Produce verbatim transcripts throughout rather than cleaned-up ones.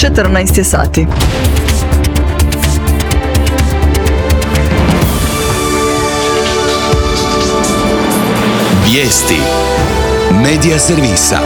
četrnaest je sati. Vijesti Medija servisa.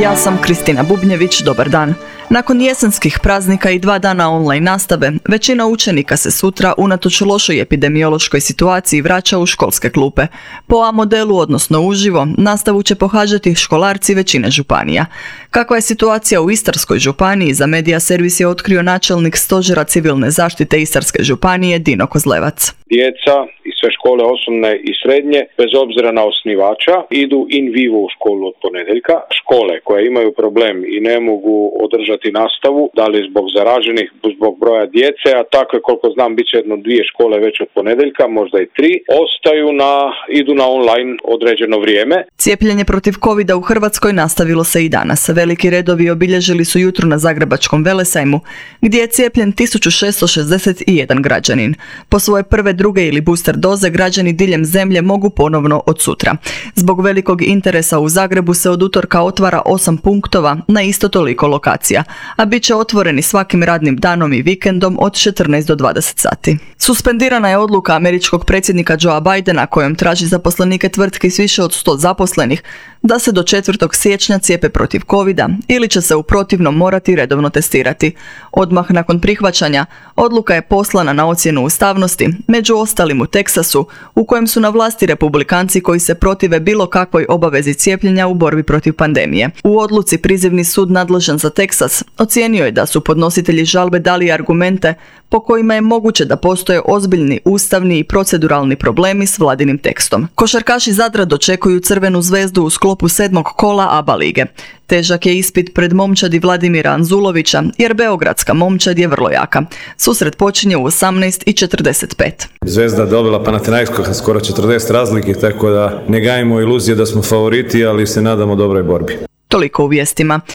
Ja sam Kristina Bubnjević, dobar dan. Nakon jesenskih praznika i dva dana online nastave, većina učenika se sutra, unatoč lošoj epidemiološkoj situaciji, vraća u školske klupe. Po A modelu, odnosno uživo, nastavu će pohađati školarci većine županija. Kakva je situacija u Istarskoj županiji, za Medija servis je otkrio načelnik Stožera civilne zaštite Istarske županije Dino Kozlevac. Djeca i sve škole osnovne i srednje, bez obzira na osnivača, idu in vivo u školu od ponedjeljka. Škole koje imaju problem i ne mogu održati nastavu, da li zbog zaraženih, zbog broja djece, a tako je, koliko znam, bit će jedno dvije škole već od ponedjeljka, možda i tri, ostaju na, idu na online određeno vrijeme. Cijepljenje protiv covida u Hrvatskoj nastavilo se i danas. Veliki redovi obilježili su jutro na Zagrebačkom Velesajmu, gdje je cijepljen tisuću šesto šezdeset jedan građanin. Po svoje prve, druge ili booster doze građani diljem zemlje mogu ponovno od sutra. Zbog velikog interesa u Zagrebu se od utorka otvara osam punktova na isto toliko lokacija, a bit će otvoreni svakim radnim danom i vikendom od četrnaest do dvadeset sati. Suspendirana je odluka američkog predsjednika Joea Bidena kojom traži zaposlenike tvrtki s više od sto zaposlenih da se do četvrtog siječnja cijepe protiv covida ili će se u protivnom morati redovno testirati. Odmah nakon prihvaćanja, odluka je poslana na ocjenu ustavnosti, među ostalim u Teksasu, u kojem su na vlasti republikanci koji se protive bilo kakvoj obavezi cijepljenja u borbi protiv pandemije. U odluci prizivni sud nadležan za Teksas ocijenio je da su podnositelji žalbe dali argumente po kojima je moguće da postoje ozbiljni ustavni i proceduralni problemi s vladinim tekstom. Košarkaši Zadra dočekuju Crvenu zvezdu u sklopu sedmog kola A B A lige. Težak je ispit pred momčadi Vladimira Anzulovića, jer beogradska momčad je vrlo jaka. Susret počinje u osamnaest i četrdeset pet. Zvezda dobila Panathinaikos skoro četrdeset razlike, tako da ne gajimo iluzije da smo favoriti, ali se nadamo dobroj borbi. Toliko u vijestima.